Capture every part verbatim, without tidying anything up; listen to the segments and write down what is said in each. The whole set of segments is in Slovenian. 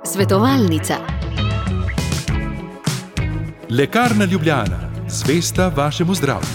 Svetovalnica. Lekarna Ljubljana, zvesta vašemu zdravju.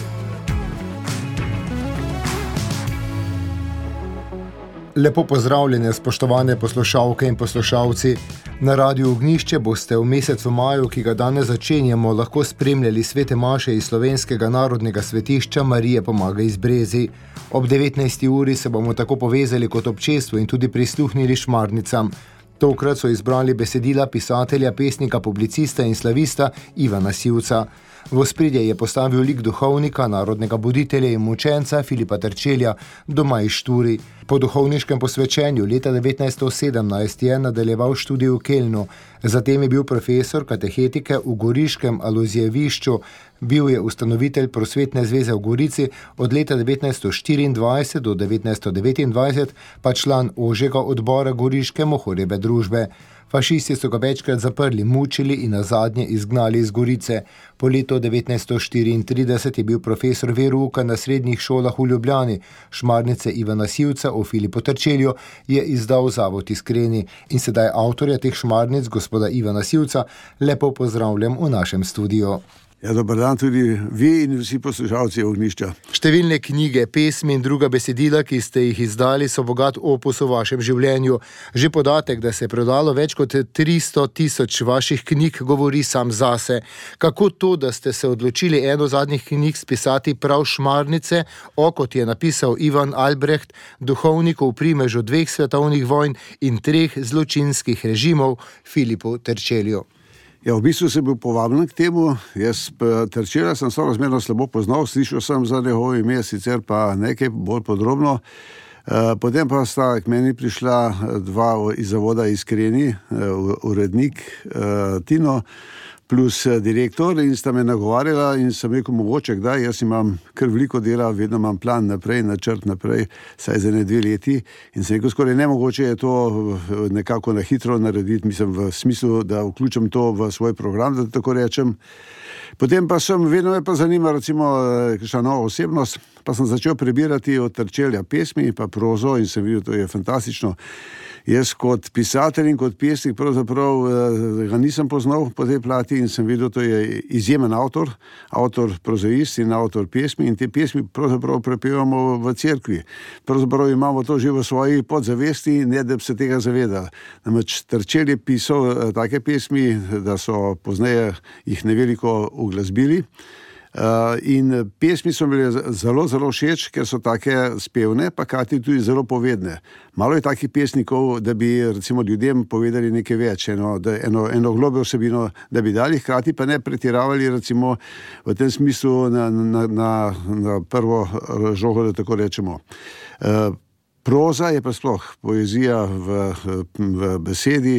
Lepo pozdravljene, spoštovane poslušalke in poslušalci. Na Radiu Ognjišče boste v mesecu maju, ki ga danes začenjamo, lahko spremljali svete maše iz Slovenskega narodnega svetišča Marije Pomagaj iz Brezij. Ob devetnajsti uri se bomo tako povezali kot občestvu in tudi prisluhnili šmarnicam. Tokrat so izbrali besedila pisatelja, pesnika, publicista in slavista Ivana Sivca. V ospredje je postavil lik duhovnika, narodnega buditelja in mučenca Filipa Terčelja, doma iz Šturi. Po duhovniškem posvečenju leta devetnajststo sedemnajst je nadaljeval študij v Kelnu. Zatem je bil profesor katehetike v Goriškem Alojzijevišču. Bil je ustanovitelj Prosvetne zveze v Gorici od leta devetnajststo štiriindvajset do devetnajststo devetindvajset, pa član ožjega odbora Goriške mohorjeve družbe. Fašisti so ga večkrat zaprli, mučili in nazadnje izgnali iz Gorice. Po letu devetnajststo štiriintrideset je bil profesor verouka na srednjih šolah v Ljubljani. Šmarnice Ivana Sivca o Filipu Terčelju je izdal Zavod Iskreni. In sedaj avtorja teh šmarnic, gospoda Ivana Sivca, lepo pozdravljam v našem studiu. Ja, dober dan tudi vi in vsi poslušalci Ognjišča. Številne knjige, pesmi in druga besedila, ki ste jih izdali, so bogat opus v vašem življenju. Že podatek, da se je prodalo več kot tristo tisoč vaših knjig, govori sam zase. Kako to, da ste se odločili eno zadnjih knjig spisati prav šmarnice, o, kot je napisal Ivan Albrecht, duhovniku v primežu dveh svetovnih vojn in treh zločinskih režimov, Filipu Terčelju? Ja, v bistvu sem bil povabljen k temu. Jaz Terčelja sem sorazmerno slabo poznal, slišal sem za njegovo ime, sicer pa nekaj bolj podrobno. Potem pa sta k meni prišla dva iz Zavoda Iskreni, urednik Tino plus direktor, in sta me nagovarjala in sem rekel, mogoče kdaj, jaz imam kar veliko dela, vedno imam plan naprej, načrt naprej, saj za ne dve leti, in sem rekel, skoraj nemogoče je to nekako na hitro narediti, mislim v smislu, da vključim to v svoj program, da tako rečem. Potem pa sem, vedno me pa zanima recimo kakšna nova osebnost, pa sem začel prebirati od Terčelja pesmi pa prozo in sem videl, to je fantastično. Jaz kot pisatelj in kot pesnik pravzaprav ga nisem poznal po tej plati in sem videl, to je izjemen avtor, avtor prozaist in avtor pesmi, in te pesmi pravzaprav prepevamo v cerkvi. Pravzaprav imamo to že v svoji podzavesti, ne da bi se tega zavedali. Namreč Terčelj je pisal take pesmi, da so pozneje jih neveliko uglasbili. Uh, in pesmi so bile zelo, zelo všeč, ker so take spevne, pa kati tudi zelo povedne. Malo je takih pesnikov, da bi recimo ljudem povedali nekaj več, eno, da, eno, eno globljo vsebino, da bi dali, hkrati pa ne pretiravali recimo v tem smislu na, na, na, na prvo žogo, da tako rečemo. Uh, Proza je pa sploh poezija v, v besedi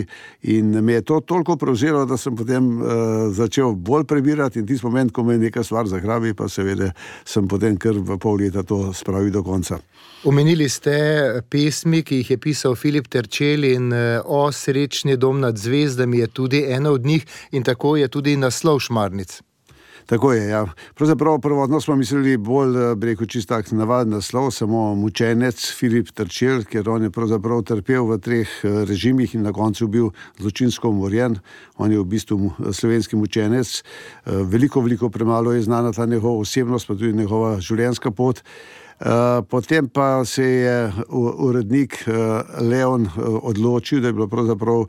in me je to toliko prevzelo, da sem potem uh, začel bolj prebirati, in tisti moment, ko me neka stvar zagrabi, pa seveda sem potem kar v pol leta to spravil do konca. Omenili ste pesmi, ki jih je pisal Filip Terčelj, in O srečni dom nad zvezdami je tudi ena od njih, in tako je tudi naslov šmarnic. Tako je, ja. Pravzaprav prvotno smo mislili bolj, bi rekel, čist tak navaden naslov, samo mučenec Filip Terčelj, ker on je pravzaprav trpel v treh režimih in na koncu bil zločinsko umorjen. On je v bistvu slovenski mučenec. Veliko, veliko premalo je znana ta njegova osebnost, pa tudi njegova življenjska pot. Uh, potem pa se je urednik uh, Leon uh, odločil, da je bilo pravzaprav uh,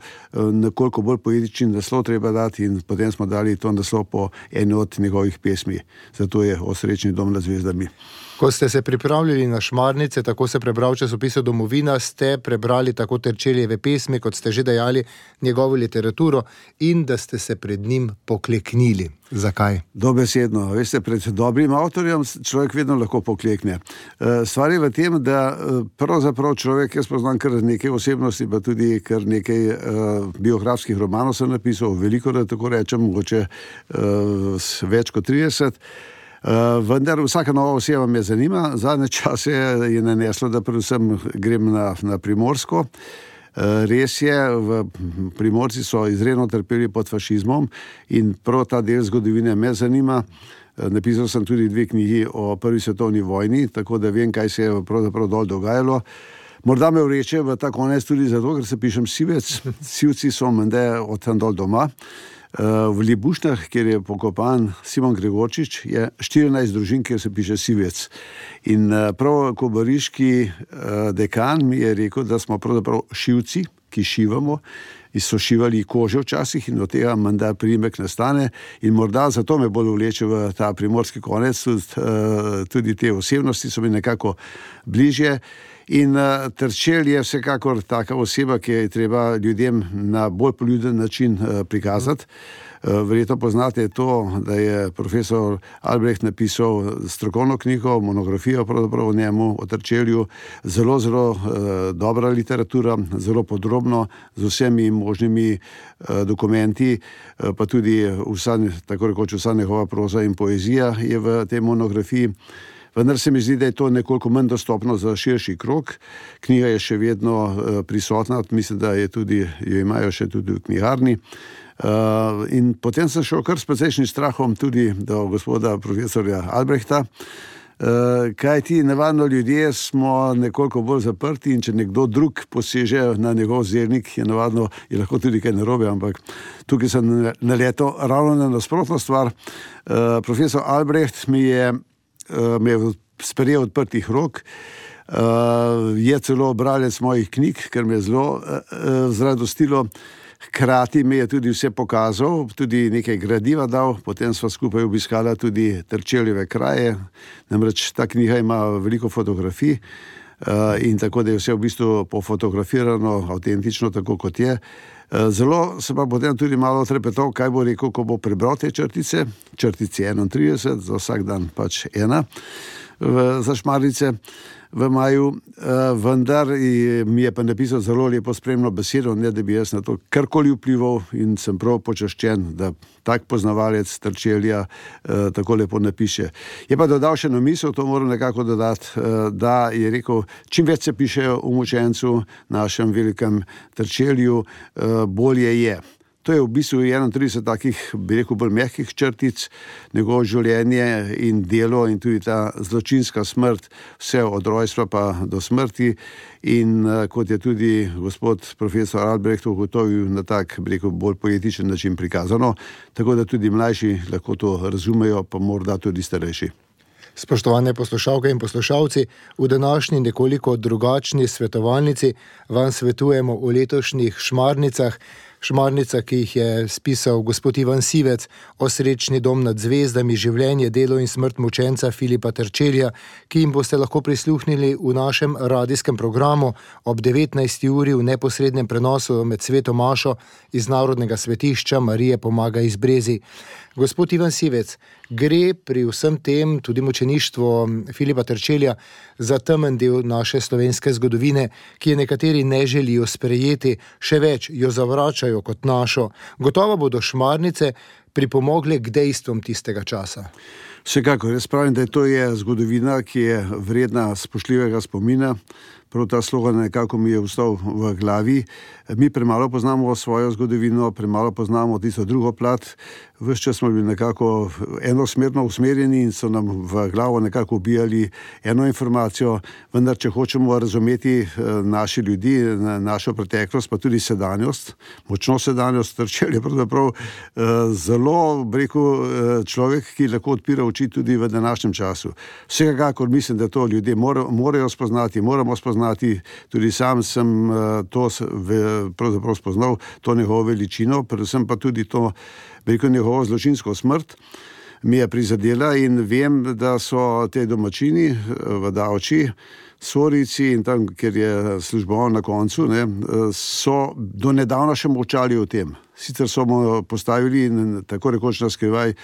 nekoliko bolj poetičen naslov treba dati, in potem smo dali to naslov po eni od njegovih pesmi. Zato je O srečni dom nad zvezdami. Ko ste se pripravljali na šmarnice, tako se prebral časopisu Domovina, ste prebrali tako Terčeljeve pesmi, kot ste že dejali, njegovo literaturo, in da ste se pred njim pokleknili. Zakaj? Dobesedno. Veste, pred dobrim avtorjem človek vedno lahko poklekne. Stvar je v tem, da pravzaprav človek, jaz poznam kar nekaj osebnosti, pa tudi kar nekaj biografskih romanov sem napisal, veliko, da tako rečem, mogoče več kot trideset. Uh, vendar vsaka nova oseba me zanima. Zadnje čase je naneslo, da predvsem grem na, na Primorsko. Uh, res je, v Primorci so izredno trpeli pod fašizmom in prav ta del zgodovine me zanima. Uh, napisal sem tudi dve knjigi o prvi svetovni vojni, tako da vem, kaj se je pravzaprav dol dogajalo. Morda me vreče v ta konec tudi zato, ker se pišem Sivec. Sivci so mende od tam dol doma. V Libušnah, kjer je pokopan Simon Gregorčič, je štirinajst družin, kjer se piše Sivec. In prav kobariški dekan mi je rekel, da smo pravzaprav šivci, ki šivamo, in so šivali kože včasih in od tega menda priimek nastane in morda zato me bolj vleče v ta primorski konec, tudi te osebnosti so mi nekako bližje. In uh, Terčelj je vsekakor taka oseba, ki je treba ljudem na bolj poljuden način uh, prikazati. Uh, verjetno poznate to, da je profesor Albrecht napisal strokovno knjigo, monografijo pravzaprav o njemu, o Terčelju. Zelo, zelo uh, dobra literatura, zelo podrobno, z vsemi možnimi uh, dokumenti, uh, pa tudi vsa, tako rekoč vsa njegova proza in poezija je v tej monografiji. Vendar se mi zdi, da je to nekoliko manj dostopno za širši krog. Knjiga je še vedno uh, prisotna, mislim, da je tudi, jo imajo še tudi v knjigarni. Uh, in potem sem šel kar s precejšnjim strahom tudi do gospoda profesorja Albrehta, uh, kaj ti navadno ljudje smo nekoliko bolj zaprti in če nekdo drug poseže na njegov zernik, je navadno, je lahko tudi kaj narobe, ampak tukaj sem naletel ravno na nasprotno stvar. Uh, profesor Albrecht mi je Uh, me je sprejel odprtih rok, uh, je celo bralec mojih knjig, ker me je zelo uh, uh, zradostilo. Hkrati me je tudi vse pokazal, tudi nekaj gradiva dal, potem sva skupaj obiskala tudi Terčeljeve kraje, namreč ta knjiga ima veliko fotografij uh, in tako, da je vse v bistvu pofotografirano, avtentično, tako kot je. Zelo se pa potem tudi malo trepetal, kaj bo rekel, ko bo prebral te črtice, črtice enaintrideset, za vsak dan pač ena v, za Šmarnice v maju, vendar mi je pa napisal zelo lepo spremno besedo, ne da bi jaz na to karkoli vplival in sem prav počaščen, da tak poznavalec Terčelja tako lepo napiše. Je pa dodal še na misel, to moram nekako dodati, da je rekel, čim več se piše o mučencu, našem velikem Terčelju, bolje je. To je v bistvu enaintrideset takih, bi rekel, bolj mehkih črtic, njegovo življenje in delo in tudi ta zločinska smrt, vse od rojstva pa do smrti. In kot je tudi gospod profesor Albrecht ugotovil na tak, bi rekel, bolj poetičen način prikazano, tako da tudi mlajši lahko to razumejo, pa morda tudi starejši. Spoštovane poslušalke in poslušalci, v današnji nekoliko drugačni svetovalnici vam svetujemo o letošnjih Šmarnicah. Šmarnica, ki jih je spisal gospod Ivan Sivec, o srečni dom nad zvezdami, življenje, delo in smrt mučenca Filipa Terčelja, ki jim boste lahko prisluhnili v našem radijskem programu ob devetnajsti uri v neposrednem prenosu med sveto mašo iz Narodnega svetišča Marije Pomaga iz Brezij. Gospod Ivan Sivec, gre pri vsem tem, tudi mučeništvo Filipa Terčelja, za temen del naše slovenske zgodovine, ki je nekateri ne želijo sprejeti, še več jo zavračajo kot našo. Gotovo bodo Šmarnice pripomogle k dejstvom tistega časa. Vsekakor, jaz pravim, da to je zgodovina, ki je vredna spoštljivega spomina. Prav ta slogan nekako mi je ostal v glavi. Mi premalo poznamo svojo zgodovino, premalo poznamo tisto drugo plat. Ves čas smo bili nekako enosmerno usmerjeni in so nam v glavo nekako ubijali eno informacijo, vendar če hočemo razumeti naši ljudi, našo preteklost, pa tudi sedanjost, močno sedanjost, Terčelj je pravzaprav zelo, rekel, človek, ki lahko odpira oči tudi v današnjem času. Vsekakor mislim, da to ljudje morajo spoznati, moramo spoznati, tudi sam sem to pravzaprav spoznal, to njegovo veličino, predvsem pa tudi to, rekel, njegovo zločinsko smrt mi je prizadela in vem, da so te domačini v Davči, Sorici in tam, kjer je služboval na koncu, ne, so do nedavna še molčali o tem. Sicer so mu postavili tako rekoč na skrivaj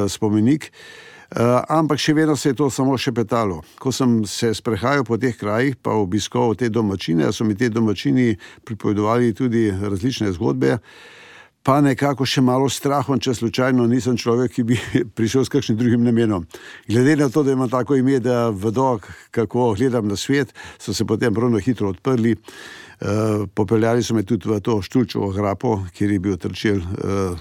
spomenik, Uh, ampak še vedno se je to samo šepetalo. Ko sem se sprehajal po teh krajih, pa obiskal te domačine, so mi te domačini pripovedovali tudi različne zgodbe, pa nekako še malo strahom, če slučajno nisem človek, ki bi prišel s kakšnim drugim namenom. Glede na to, da imam tako ime, da vedo, kako gledam na svet, so se potem prav hitro odprli. Uh, popeljali so me tudi v to Štulčevo grapo, kjer je bil Terčelj uh,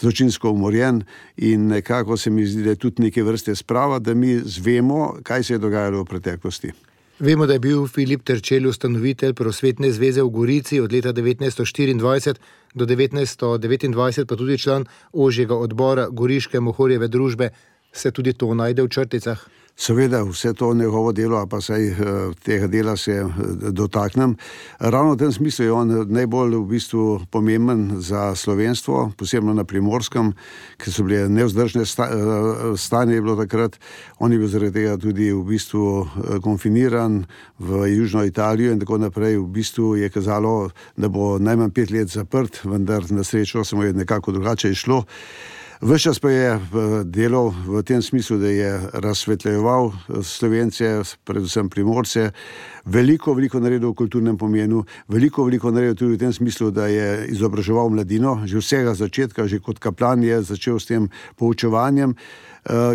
zločinsko umorjen in nekako se mi zdi, da je tudi neke vrste sprava, da mi zvemo, kaj se je dogajalo v preteklosti. Vemo, da je bil Filip Terčelj ustanovitelj Prosvetne zveze v Gorici od leta devetnajststo štiriindvajset do devetnajststo devetindvajset, pa tudi član ožjega odbora Goriške Mohorjeve družbe. Se tudi to najde v črticah? Seveda, vse to njegovo delo, pa saj tega dela se dotaknem. Ravno v tem smislu je on najbolj v bistvu pomemben za slovenstvo, posebno na Primorskem, ker so bile nevzdržne sta, stanje je bilo takrat. On je bil zaradi tega tudi v bistvu konfiniran v Južno Italijo in tako naprej. V bistvu je kazalo, da bo najmanj pet let zaprt, vendar na srečo se mu je nekako drugače išlo. Ves čas pa je delal v tem smislu, da je razsvetljeval Slovence, predvsem Primorce, veliko, veliko naredil v kulturnem pomenu, veliko, veliko naredil tudi v tem smislu, da je izobraževal mladino, že vsega začetka, že kot kaplan je začel s tem poučevanjem.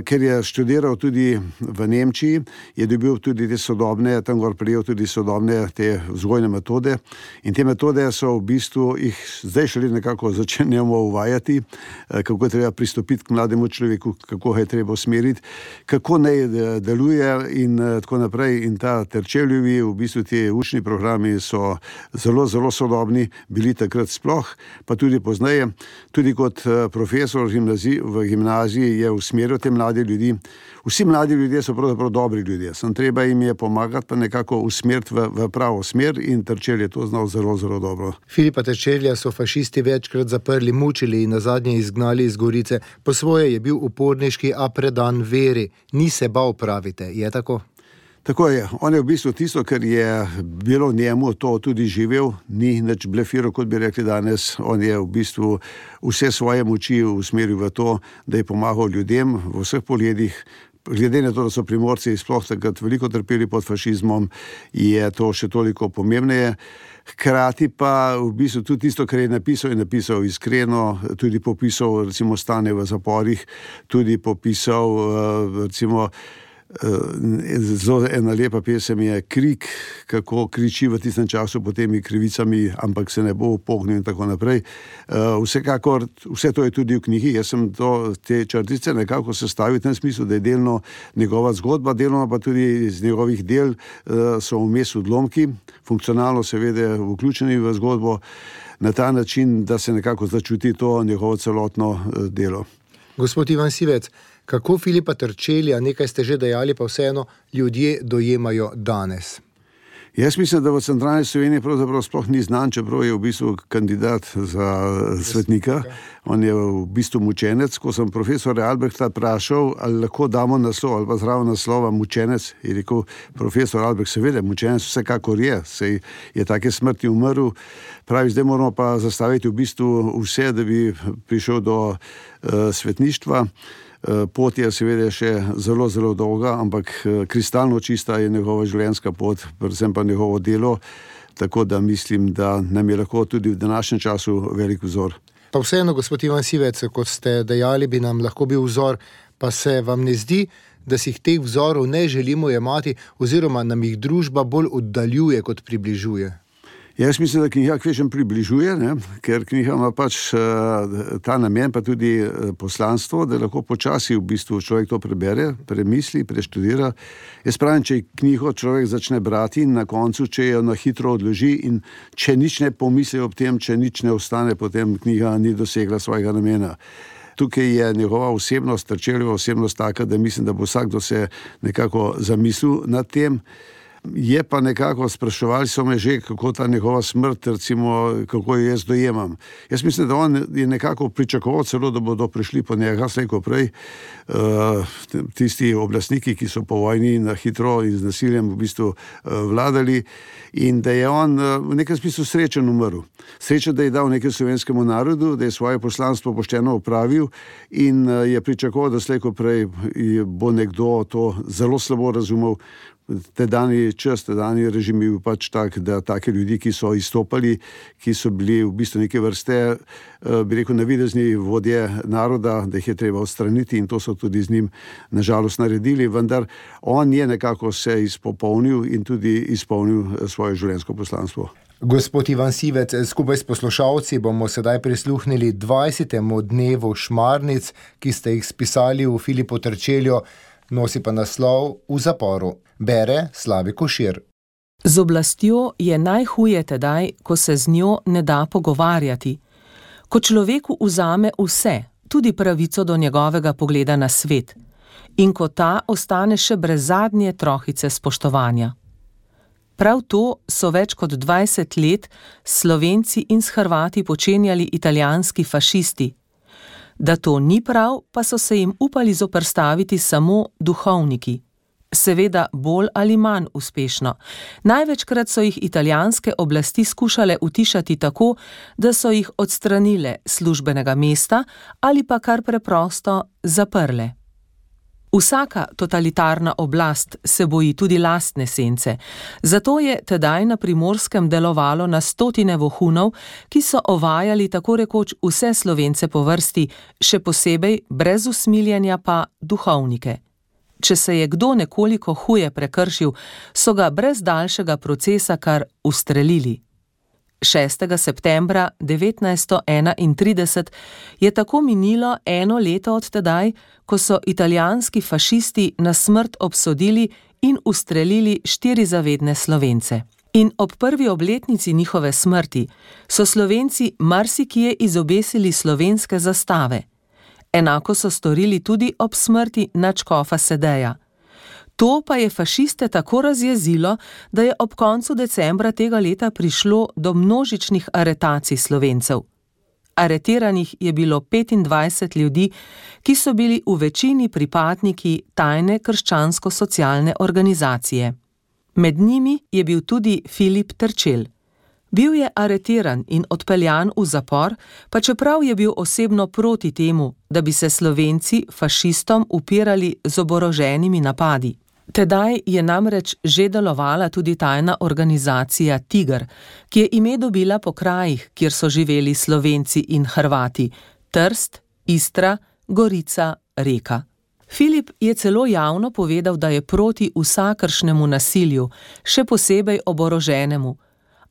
Ker je študiral tudi v Nemčiji, je dobil tudi te sodobne, tam gor prijel tudi sodobne te vzgojne metode in te metode so v bistvu, jih zdaj šele nekako začenjamo uvajati, kako je treba pristopiti k mlademu človeku, kako ga je treba usmeriti, kako naj deluje in tako naprej. In ta Terčeljevi, v bistvu ti učni programi so zelo, zelo sodobni, bili takrat sploh, pa tudi pozneje. Tudi kot profesor v gimnaziji, v gimnaziji je usmeril te mlade ljudi. Vsi mladi ljudje so pravzaprav dobri ljudje, sem treba jim je pomagati, pa nekako usmeriti v, v pravo smer in Terčelj je to znal zelo, zelo dobro. Filipa Terčelja so fašisti večkrat zaprli, mučili in nazadnje izgnali iz Gorice. Po svoje je bil uporniški, a predan veri. Ni se bal, pravite, je tako? Tako je. On je v bistvu tisto, kar je bilo njemu, to tudi živel, ni nič blefiral, kot bi rekli danes. On je v bistvu vse svoje moči usmeril v to, da je pomagal ljudem v vseh pogledih. Glede na to, da so Primorci sploh takrat veliko trpeli pod fašizmom, je to še toliko pomembneje. Hkrati pa v bistvu tudi tisto, kar je napisal, je napisal iskreno, tudi popisal recimo stanje v zaporih, tudi popisal recimo zelo ena lepa pesem je Krik, kako kriči v tistem času pod temi krivicami, ampak se ne bo upognil in tako naprej. Vsekakor, vse to je tudi v knjigi. Jaz sem to, te črtice nekako sestavil v tem smislu, da je delno njegova zgodba, delno pa tudi iz njegovih del so vmes odlomki, funkcionalno seveda vključeni v zgodbo, na ta način, da se nekako začuti to njegovo celotno delo. Gospod Ivan Sivec, kako Filipa Terčelja, nekaj ste že dejali, pa vseeno ljudje dojemajo danes? Jaz mislim, da v centralni Sloveniji pravzaprav sploh ni znan, čeprav je v bistvu kandidat za svetnika. On je v bistvu mučenec. Ko sem profesora Albrehta vprašal, ali lahko damo naslov ali pa zraven naslova mučenec, je rekel profesor Albrecht, seveda, mučenec vsekakor je, sej je take smrti umrl. Pravi, zdaj moramo pa zastaviti v bistvu vse, da bi prišel do uh, svetništva. Pot je seveda še zelo, zelo dolga, ampak kristalno čista je njegova življenjska pot, predvsem pa njegovo delo, tako da mislim, da nam je lahko tudi v današnjem času velik vzor. Pa vseeno, gospod Ivan Sivec, kot ste dejali, bi nam lahko bil vzor, pa se vam ne zdi, da si teh vzorov ne želimo jemati oziroma nam jih družba bolj oddaljuje, kot približuje? Jaz mislim, da knjiga kvečem približuje, ne? Ker knjiga ima pač uh, ta namen, pa tudi uh, poslanstvo, da lahko počasi v bistvu človek to prebere, premisli, preštudira. Jaz pravim, če knjigo človek začne brati in na koncu, če jo na hitro odloži in če nič ne pomisli ob tem, če nič ne ostane, potem knjiga ni dosegla svojega namena. Tukaj je njegova osebnost, Terčeljeva osebnost taka, da mislim, da bo vsakdo se nekako zamislil nad tem. Je pa nekako, spraševali so me že, kako ta njegova smrt, recimo, kako jo jaz dojemam. Jaz mislim, da on je nekako pričakoval celo, da bodo prišli po njega, slej ko prej, uh, tisti oblastniki, ki so po vojni na hitro in z nasiljem v bistvu uh, vladali, in da je on uh, v nekem smislu srečen umrl. Srečen, da je dal nekaj slovenskemu narodu, da je svoje poslanstvo pošteno opravil in uh, je pričakoval, da slej ko prej bo nekdo to zelo slabo razumel. Te dani čas, te dani režim je bil pač tak, da take ljudi, ki so izstopali, ki so bili v bistvu neke vrste, bi rekel, navidezni vodje naroda, da jih je treba odstraniti in to so tudi z njim nažalost naredili, vendar on je nekako se izpopolnil in tudi izpolnil svoje življenjsko poslanstvo. Gospod Ivan Sivec, skupaj s poslušalci bomo sedaj prisluhnili dvajsetemu dnevu Šmarnic, ki ste jih spisali v Filipu Terčelju, nosi pa naslov V zaporu. Bere Slavi Košir. Z oblastjo je najhuje tedaj, ko se z njo ne da pogovarjati, ko človeku vzame vse, tudi pravico do njegovega pogleda na svet, in ko ta ostane še brez zadnje trohice spoštovanja. Prav to so več kot dvajset let Slovenci in s Hrvati počenjali italijanski fašisti. Da to ni prav, pa so se jim upali zoperstaviti samo duhovniki. Seveda bolj ali manj uspešno. Največkrat so jih italijanske oblasti skušale utišati tako, da so jih odstranile službenega mesta ali pa kar preprosto zaprle. Vsaka totalitarna oblast se boji tudi lastne sence, zato je tedaj na Primorskem delovalo na stotine vohunov, ki so ovajali tako rekoč vse Slovence po vrsti, še posebej brez usmiljenja pa duhovnike. Če se je kdo nekoliko huje prekršil, so ga brez daljšega procesa kar ustrelili. šestega septembra devetnajststo enaintrideset je tako minilo eno leto od tedaj, ko so italijanski fašisti na smrt obsodili in ustrelili štiri zavedne Slovence. In ob prvi obletnici njihove smrti so Slovenci marsikje izobesili slovenske zastave. Enako so storili tudi ob smrti nadškofa Sedeja. To pa je fašiste tako razjezilo, da je ob koncu decembra tega leta prišlo do množičnih aretacij Slovencev. Aretiranih je bilo petindvajset ljudi, ki so bili v večini pripadniki tajne krščansko-socialne organizacije. Med njimi je bil tudi Filip Terčelj. Bil je aretiran in odpeljan v zapor, pa čeprav je bil osebno proti temu, da bi se Slovenci fašistom upirali z oboroženimi napadi. Tedaj je namreč že delovala tudi tajna organizacija Tiger, ki je ime dobila po krajih, kjer so živeli Slovenci in Hrvati: Trst, Istra, Gorica, Reka. Filip je celo javno povedal, da je proti vsakršnemu nasilju, še posebej oboroženemu,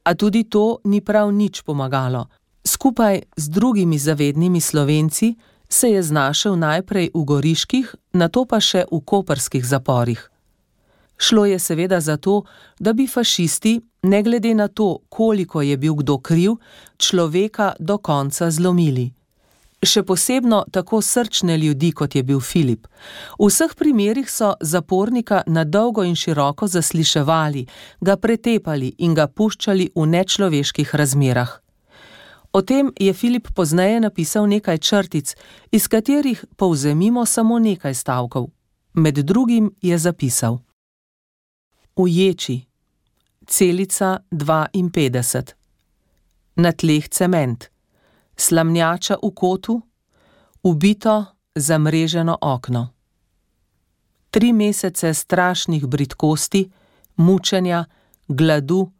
a tudi to ni prav nič pomagalo. Skupaj z drugimi zavednimi Slovenci se je znašel najprej v goriških, nato pa še v koprskih zaporih. Šlo je seveda za to, da bi fašisti, ne glede na to, koliko je bil kdo kriv, človeka do konca zlomili. Še posebno tako srčne ljudi, kot je bil Filip. V vseh primerih so zapornika na dolgo in široko zasliševali, ga pretepali in ga puščali v nečloveških razmerah. O tem je Filip pozneje napisal nekaj črtic, iz katerih povzemimo samo nekaj stavkov. Med drugim je zapisal: V ječi, celica dvainpetdeset, na tleh cement, slamnjača v kotu, ubito, zamreženo okno. Tri mesece strašnih bridkosti, mučenja, gladu,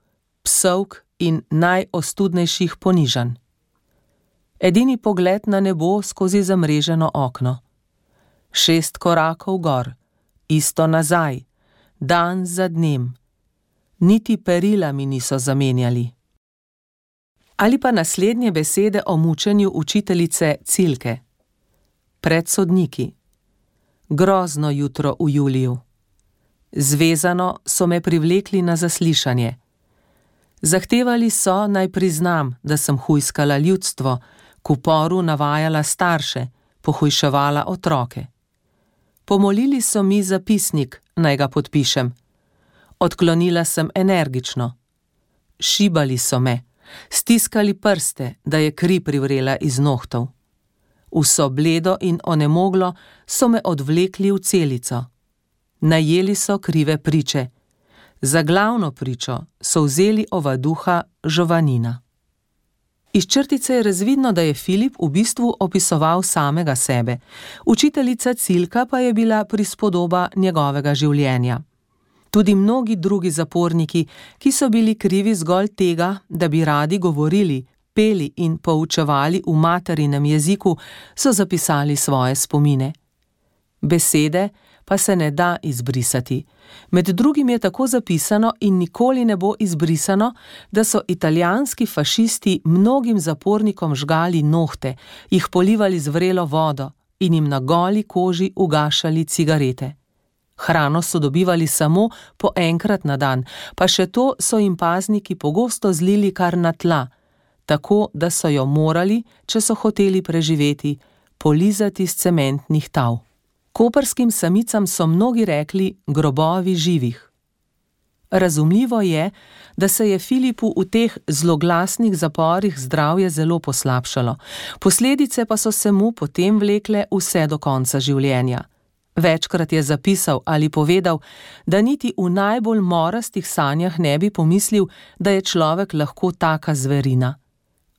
psovk in najostudnejših ponižanj. Edini pogled na nebo skozi zamreženo okno. Šest korakov gor, isto nazaj, dan za dnem. Niti perila mi niso zamenjali. Ali pa naslednje besede o mučenju učiteljice Cilke. Pred sodniki. Grozno jutro v juliju. Zvezano so me privlekli na zaslišanje. Zahtevali so, naj priznam, da sem hujskala ljudstvo, k uporu navajala starše, pohujševala otroke. Pomolili so mi zapisnik, naj ga podpišem. Odklonila sem energično. Šibali so me, stiskali prste, da je kri privrela iz nohtov. Vso bledo in onemoglo so me odvlekli v celico. Najeli so krive priče. Za glavno pričo so vzeli ovaduha Žovanina. Iz črtice je razvidno, da je Filip v bistvu opisoval samega sebe. Učiteljica Cilka pa je bila prispodoba njegovega življenja. Tudi mnogi drugi zaporniki, ki so bili krivi zgolj tega, da bi radi govorili, peli in poučevali v materinem jeziku, so zapisali svoje spomine. Besede pa se ne da izbrisati. Med drugim je tako zapisano in nikoli ne bo izbrisano, da so italijanski fašisti mnogim zapornikom žgali nohte, jih polivali z vrelo vodo in jim na goli koži ugašali cigarete. Hrano so dobivali samo po enkrat na dan, pa še to so jim pazniki pogosto zlili kar na tla, tako da so jo morali, če so hoteli preživeti, polizati z cementnih tav. Koprskim samicam so mnogi rekli grobovi živih. Razumljivo je, da se je Filipu v teh zloglasnih zaporih zdravje zelo poslabšalo, posledice pa so se mu potem vlekle vse do konca življenja. Večkrat je zapisal ali povedal, da niti v najbolj morastih sanjah ne bi pomislil, da je človek lahko taka zverina.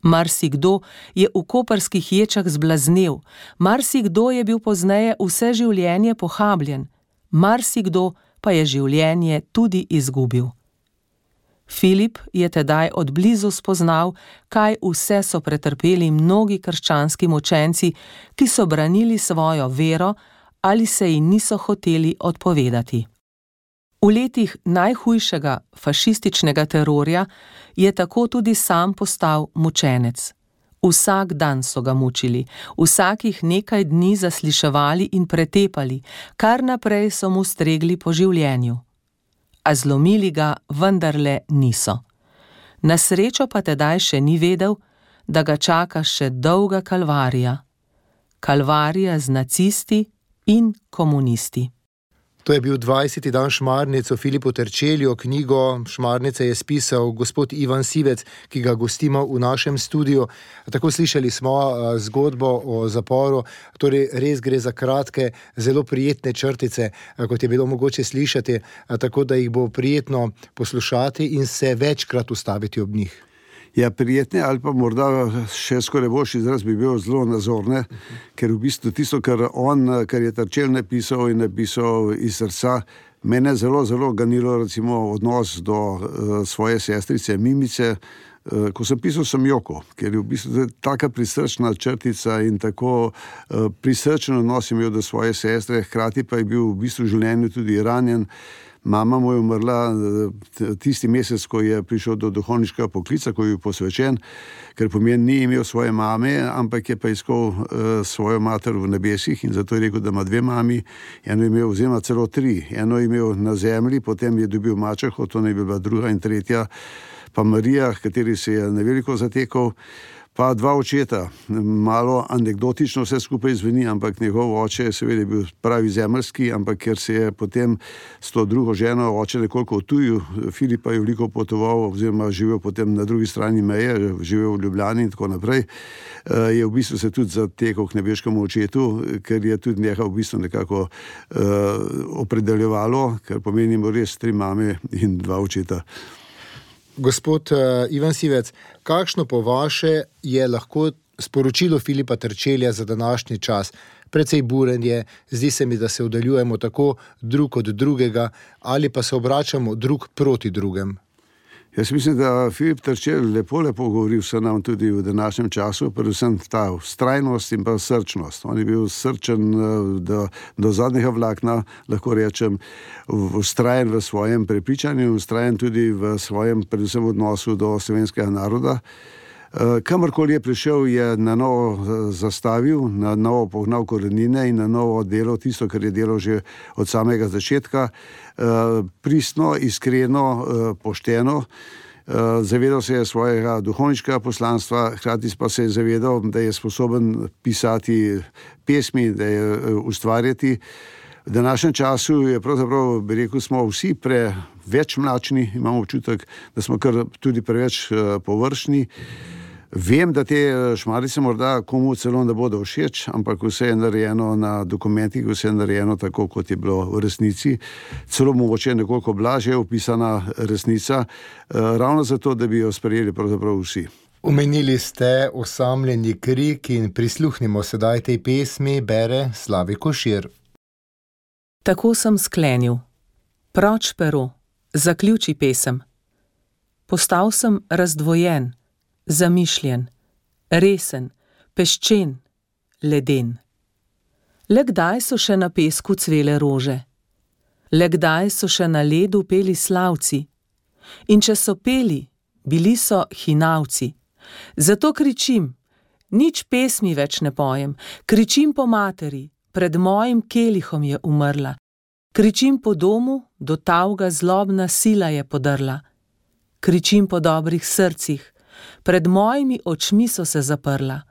Marsikdo je v koprskih ječah zblaznel, marsikdo je bil pozneje vse življenje pohabljen, marsikdo pa je življenje tudi izgubil. Filip je tedaj od blizu spoznal, kaj vse so pretrpeli mnogi krščanski mučenci, ki so branili svojo vero ali se ji niso hoteli odpovedati. V letih najhujšega fašističnega terorja je tako tudi sam postal mučenec. Vsak dan so ga mučili, vsakih nekaj dni zasliševali in pretepali, kar naprej so mu stregli po življenju. A zlomili ga vendarle niso. Na srečo pa tedaj še ni vedel, da ga čaka še dolga kalvarija. Kalvarija z nacisti in komunisti. To je bil dvajseti dan Šmarnic o Filipu Terčelju. Knjigo Šmarnice je spisal gospod Ivan Sivec, ki ga gostimo v našem studiu. Tako slišali smo zgodbo o zaporu, torej res gre za kratke, zelo prijetne črtice, kot je bilo mogoče slišati, tako da jih bo prijetno poslušati in se večkrat ustaviti ob njih. Ja, prijetne ali pa morda še skoraj boljši izraz bi bil zelo nazorne, ker v bistvu tisto, kar on, kar je Terčelj napisal in napisal iz srca, mene zelo, zelo ganilo recimo odnos do uh, svoje sestrice Mimice. Uh, ko sem pisal, sem jokal, ker je v bistvu taka prisrčna črtica in tako uh, prisrčen odnos imel do svoje sestre, hkrati pa je bil v bistvu v življenju tudi ranjen. Mama mu je umrla tisti mesec, ko je prišel do duhovniškega poklica, ko je bil posvečen, ker pomeni ni imel svoje mame, ampak je pa iskal uh, svojo mater v nebesih in zato je rekel, da ima dve mami, eno je imel, oziroma celo tri, eno je imel na zemlji, potem je dobil mačeho, to ne bi bila druga in tretja, pa Marija, kateri se je neveliko zatekal, pa dva očeta. Malo anekdotično vse skupaj zveni, ampak njegov oče je seveda bil pravi zemeljski, ampak ker se je potem s to drugo ženo oče nekoliko odtujil, Filip pa je veliko potoval oziroma živel potem na drugi strani meje, živel v Ljubljani in tako naprej, je v bistvu se tudi zatekal k nebeškemu očetu, ker je tudi njega v bistvu nekako uh, opredeljevalo, ker pomenimo res tri mame in dva očeta. Gospod uh, Ivan Sivec, kakšno po vaše je lahko sporočilo Filipa Terčelja za današnji čas? Precej buren je, zdi se mi, da se oddaljujemo tako drug od drugega ali pa se obračamo drug proti drugem. Jaz mislim, da Filip Terčelj lepo, lepo govori vse nam tudi v današnjem času, predvsem ta vztrajnost in pa srčnost. On je bil srčen do, do zadnjega vlakna, lahko rečem, vztrajen v svojem prepričanju, vztrajen tudi v svojem predvsem odnosu do slovenskega naroda. Kamorkoli je prišel, je na novo zastavil, na novo pognal korenine in na novo delal tisto, kar je delal že od samega začetka. Pristno, iskreno, pošteno. Zavedal se je svojega duhovniškega poslanstva, hkrati pa se je zavedal, da je sposoben pisati pesmi, da je ustvarjati. V današnjem času je pravzaprav, bi rekel, smo vsi preveč mlačni, imamo občutek, da smo kar tudi preveč površni. Vem, da te Šmarnice morda komu celo ne bodo všeč, ampak vse je narejeno na dokumentih, vse je narejeno tako, kot je bilo v resnici. Celo mogoče nekoliko blažje opisana resnica, ravno zato, da bi jo sprejeli pravzaprav vsi. Omenili ste osamljeni krik in prisluhnimo sedaj tej pesmi, bere Slavi Košir. Tako sem sklenil. Proč pero, zaključi pesem. Postal sem razdvojen, zamišljen, resen, peščen, leden. Le kdaj so še na pesku cvele rože? Le kdaj so še na ledu peli slavci? In če so peli, bili so hinavci. Zato kričim, nič pesmi več ne pojem, kričim po materi, pred mojim kelihom je umrla. Kričim po domu, do tavga zlobna sila je podrla. Kričim po dobrih srcih, pred mojimi očmi so se zaprla.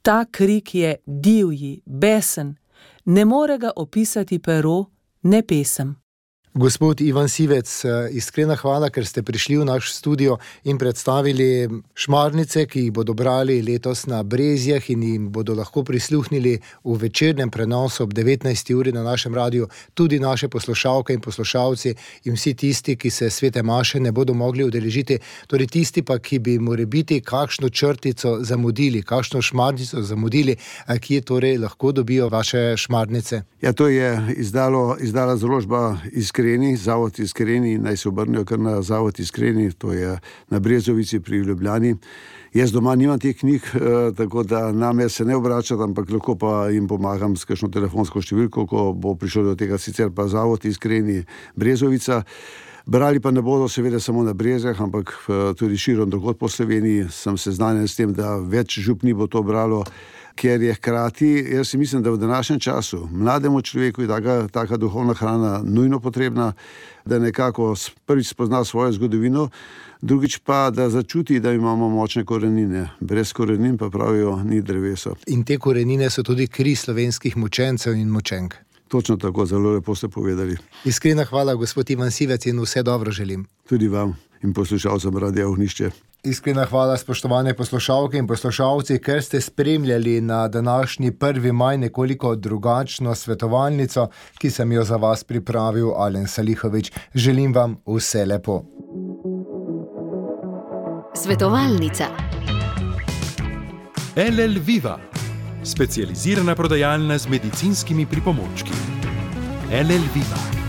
Ta krik je divji, besen, ne more ga opisati pero, ne pesem. Gospod Ivan Sivec, iskrena hvala, ker ste prišli v naš studio in predstavili šmarnice, ki jih bodo brali letos na Brezjah in jim bodo lahko prisluhnili v večernem prenosu ob devetnajsti uri na našem radiju tudi naše poslušalke in poslušalci in vsi tisti, ki se svete maše ne bodo mogli udeležiti, torej tisti pa, ki bi morebiti kakšno črtico zamudili, kakšno šmarnico zamudili, kje torej lahko dobijo vaše šmarnice. Ja, to je izdalo, izdala založba Iskreni, Zavod Iskreni, naj se obrnejo kar na Zavod Iskreni, to je na Brezovici pri Ljubljani. Jaz doma nimam teh knjig, tako da name se ne obračam, ampak lahko pa jim pomagam s kakšno telefonsko številko, ko bo prišlo do tega, sicer pa Zavod Iskreni Brezovica. Brali pa ne bodo seveda samo na Brezjah, ampak tudi širom drugod po Sloveniji. Sem seznanjen s tem, da več župni bo to bralo, ker je hkrati, jaz si mislim, da v današnjem času mlademu človeku je taka, taka duhovna hrana nujno potrebna, da nekako prvič spozna svojo zgodovino, drugič pa, da začuti, da imamo močne korenine. Brez korenin pa pravijo ni drevesa. In te korenine so tudi kri slovenskih mučencev in mučenk. Točno tako, zelo lepo ste povedali. Iskrena hvala, gospod Ivan Sivec, in vse dobro želim. Tudi vam in poslušalcem Radia Ognjišče. Iskrena hvala, spoštovane poslušalke in poslušalci, ker ste spremljali na današnji prvi maj nekoliko drugačno svetovalnico, ki sem jo za vas pripravil Alen Salihović. Želim vam vse lepo. Svetovalnica. L L Viva, specializirana prodajalna z medicinskimi pripomočki. L L Viva.